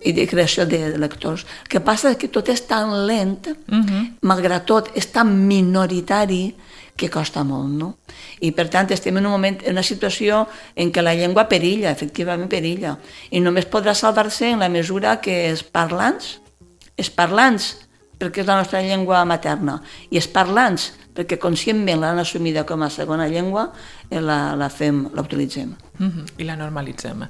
i de creació de lectors. El que passa és que tot és tan lent, uh-huh. malgrat tot, és tan minoritari que costa molt, no? I per tant estem en un moment, en una situació en què la llengua perilla, efectivament perilla, i només podrà salvar-se en la mesura que els parlants, els parlants, perquè és la nostra llengua materna, i els parlants, perquè conscientment l'han assumida com a segona llengua, la, la fem, la utilitzem. Uh-huh. I la normalitzem.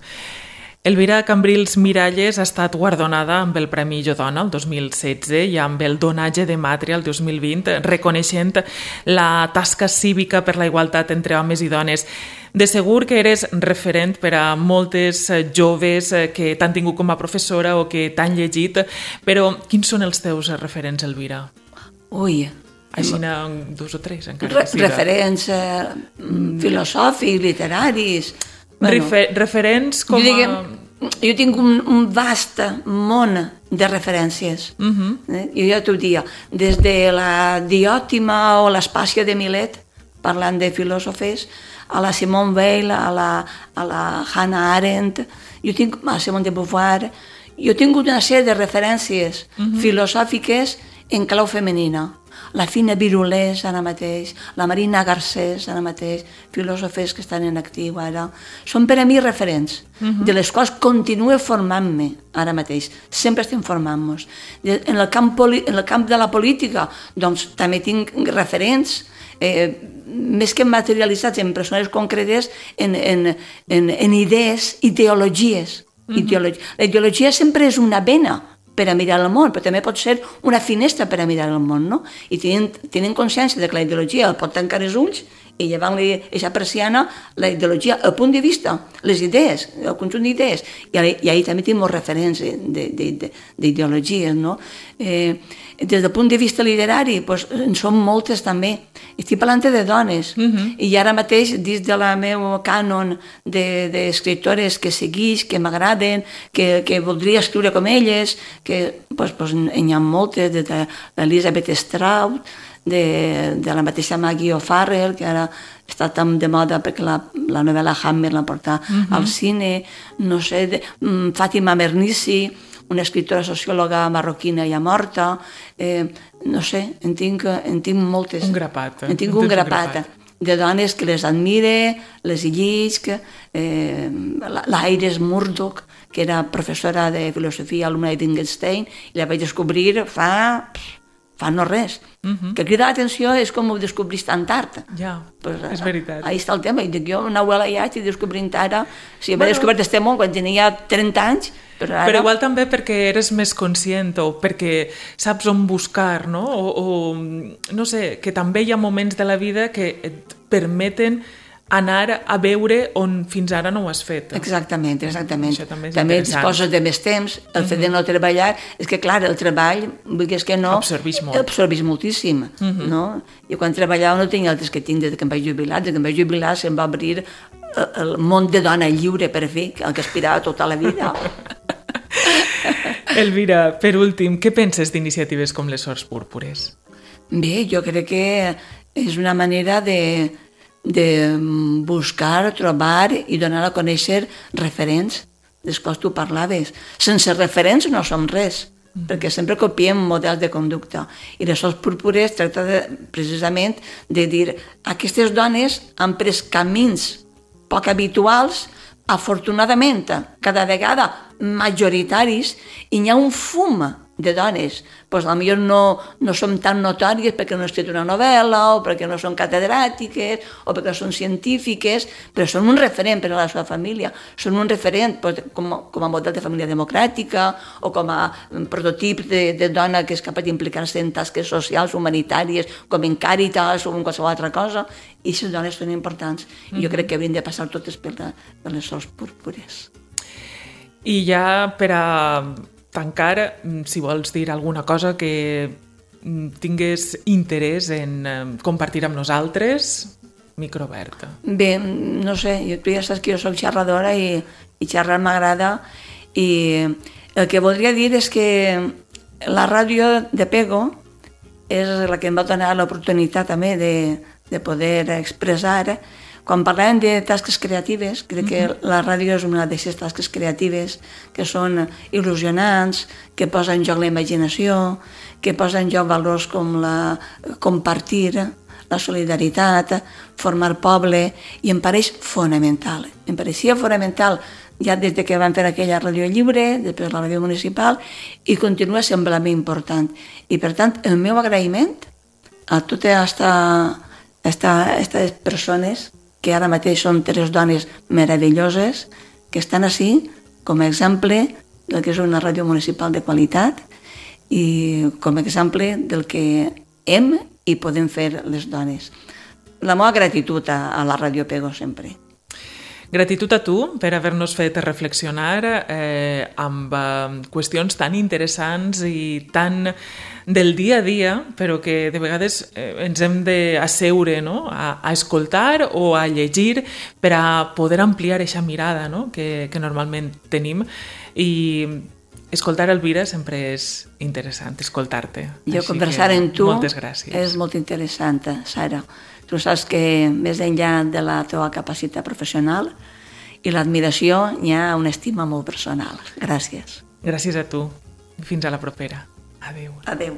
Elvira Cambrils Miralles ha estat guardonada amb el Premi Jo Dona el dos mil setze i amb el Donatge de Màtria el dos mil vint, reconeixent la tasca cívica per la igualtat entre homes i dones. De segur que eres referent per a moltes joves que t'han tingut com a professora o que t'han llegit, però quins són els teus referents, Elvira? Ui... Així n'hi dos o tres, encara que siga. Referents eh, filosòfics, literaris... Bueno, Refer referents com jo, diguem, a... jo tinc un, un vast món de referències. Uh-huh. eh? Jo ja t'ho dia, des de la Diòtima o l'Espàcia de Milet, parlant de filòsofes, a la Simone Weil, a la, a la Hannah Arendt, jo tinc a Simone de Beauvoir, jo he tingut una sèrie de referències uh-huh. filosòfiques en clau femenina. La Fina Virulés, ara mateix, la Marina Garcés, ara mateix, filòsofes que estan en actiu ara. Són per a mi referents, uh-huh. de les quals continuo formant-me ara mateix. Sempre estem formant-nos. En el camp, en el camp de la política, doncs també tinc referents, eh, més que materialitzats en persones concretes, en, en, en, en idees, ideologies. Uh-huh. Ideologia. La ideologia sempre és una vena per a mirar el món, però també pot ser una finestra per a mirar el món, no? I tenen, tenen consciència de que la ideologia el pot tancar els ulls i llevant-li aquesta persiana, la ideologia, el punt de vista, les idees, el conjunt d'idees, i, i ahir també tenim molts referents d'ideologies, no? Eh, des del punt de vista literari, doncs, en són moltes també. Estic parlant de dones, uh-huh. i ara mateix, dins de la meu cànon d'escriptores que seguix, que m'agraden, que, que voldria escriure com elles, que doncs, doncs, hi ha moltes, de, de l'Elizabeth Strout, de, de la mateixa Maggie O'Farrell, que ara està tan de moda perquè la, la novel·la Hammer la porta uh-huh. al cine, no sé, de, um, Fàtima Mernissi, una escriptora sociòloga marroquina ja morta, eh, no sé, en tinc, en tinc moltes. Un grapat. En tinc un grapat, de dones que les admire, les llisc, eh, l'Iris Murdoch, que era professora de filosofia, alumna de Wittgenstein, i la vaig descobrir fa... fa no res. Uh-huh. Que crida l'atenció és com ho descobrís tan tard. Ja, pues, és veritat. Ahí està el tema. I dic, jo una abuela ja estic descobrint ara, si bueno, havia descobert este món quan tenia trenta anys, però ara... Però igual també perquè eres més conscient o perquè saps on buscar, no? O, o no sé, que també hi ha moments de la vida que et permeten anar a veure on fins ara no ho has fet. Exactament, exactament. També, també disposes de més temps, el fet de no treballar, és que clar, el treball, vulguis que no... Absorbix molt. Absorbix moltíssim, uh-huh. no? Jo quan treballava no tenia altres que tinc des que em vaig jubilar, des que em vaig jubilar se'm va obrir el món de dona lliure per fer, el que aspirava tota la vida. Elvira, per últim, què penses d'iniciatives com les Sors Púrpures? Bé, jo crec que és una manera de... de buscar, trobar i donar a conèixer referents dels quals tu parlaves. Sense referents no som res, mm. perquè sempre copiem models de conducta. I les Sors Púrpures tracta de, precisament de dir aquestes dones han pres camins poc habituals, afortunadament, cada vegada majoritaris, i hi ha un fum de dones, doncs potser no, no som tan notòries perquè no han escrit una novel·la o perquè no són catedràtiques o perquè no són científiques, però són un referent per a la seva família, són un referent doncs, com, com a model de família democràtica o com a prototip de, de dona que és capaç d'implicar-se en tasques socials, humanitàries, com en Càritas o en qualsevol altra cosa, i aquestes dones són importants. I jo crec que haurien de passar totes per, la, per les Sors Púrpures. I ja per a tancar, si vols dir alguna cosa que tingués interès en compartir amb nosaltres, micro obert. Bé, no sé, tu ja saps que jo soc xerradora i, i xerrar m'agrada, i el que voldria dir és que la ràdio de Pego és la que em va donar l'oportunitat també de, de poder expressar Quan parlàvem de tasques creatives, crec que la ràdio és una d'aquestes tasques creatives que són il·lusionants, que posa en joc la imaginació, que posa en joc valors com la compartir, la solidaritat, formar poble, i em pareix fonamental. Em pareixia fonamental ja des de que van fer aquella ràdio lliure, després la ràdio municipal, i continua semblant important. I per tant, el meu agraïment a totes aquestes persones que ara mateix són tres dones meravelloses que estan així com a exemple del que és una ràdio municipal de qualitat i com a exemple del que hem i podem fer les dones. La meva gratitud a, a la Ràdio Pego sempre. Gratitud a tu per haver-nos fet reflexionar eh, amb eh, qüestions tan interessants i tan del dia a dia, però que de vegades eh, ens hem d'asseure, no? a, a escoltar o a llegir per a poder ampliar aquesta mirada, no? que, que normalment tenim. I escoltar Elvira sempre és interessant, escoltar-te. Jo Així conversar que, amb tu moltes gràcies. És molt interessant, Sara. Tu saps que més enllà de la teva capacitat professional i l'admiració hi ha una estima molt personal. Gràcies. Gràcies a tu. Fins a la propera. Adéu. Adéu.